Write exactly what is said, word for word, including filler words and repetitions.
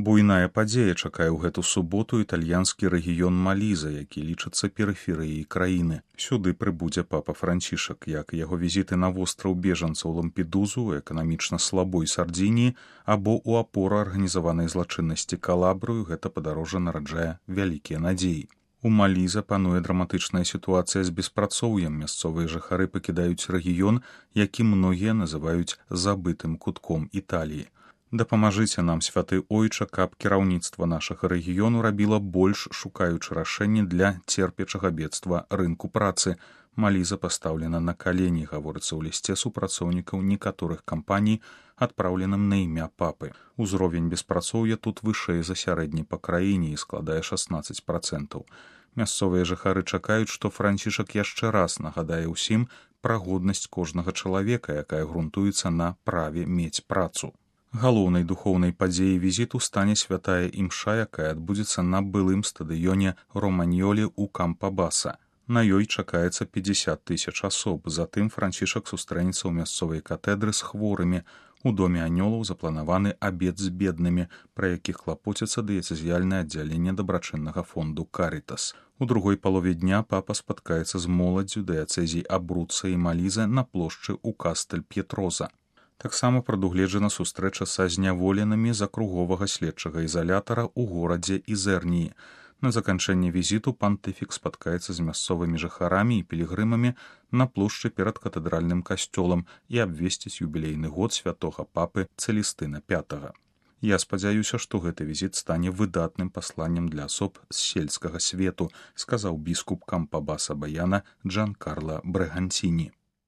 Буйная падзея чакае ў гэту суботу італьянскі рэгіён Маліза, які лічыцца перыферыяй краіны. Сюды прыбудзе папа Францішак, як яго візіты на востраў бежанцаў Лампедузу, эканамічна слабой Сардзініі або ў апору арганізаванай злачыннасці Калабрыю, гэта падарожжа нараджае вялікія надзеі. У Маліза пануе драматычная сітуацыя з беспрацоўем. Мясцовыя жыхары пакідаюць рэгіён, які многія называюць забытым кутком Італіі. Дапамажыце нам, святы ойча, каб кіраўніцтва нашага рэгіёну рабіла больш, шукаючы рашэнні для церпячага бедства рынку працы. Маліза пастаўлена на калені, гаворыцца ў лісце супрацоўнікаў некаторых кампаній, адпраўленым на імя папы. Узровень беспрацоўя тут вышэй за сярэдні па краіне і складае шаснаццаць працэнтаў. Мясцовыя жыхары чакаюць, што Францішак яшчэ раз нагадае ўсім пра годнасць кожнага чалавека, якая грунтуецца на праве мець працу. Галоўнай духоўнай падзеяй візіту стане святая імша, якая адбудзецца на былым стадыёне Романьолі ў Кампабаса. На ёй чакаецца пятьдесят тысяч асоб. Затым Францішак сустрэнецца ў мясцовай катэдры з хворымі. У доме анёлаў запланаваны абед з беднымі, пра якіх клапоціцца дыяцэзіяльнае аддзяленне дабрачыннага фонду «Карітас». У другой палове дня папа спаткаецца з моладдзю дыяцэзій Абруца і Маліза на плошчы ў Кастэль-П'етроза. Таксама прадугледжана сустрэча са зняволенымі з акруговага следчага ізалятара ў горадзе Ізэрніі. На заканчэнне візіту пантыфік спаткаецца з мясцовымі жыхарамі і пілігрымамі на плошчы перад катэдральным касцёлам і абвесціць юбілейны год святога папы Цэлістына пятага. Я спадзяюся, што гэты візіт стане выдатным пасланнем для асоб з сельскага свету, сказаў біскуп Кампабаса Баяна Джанкарла Брэгансіні.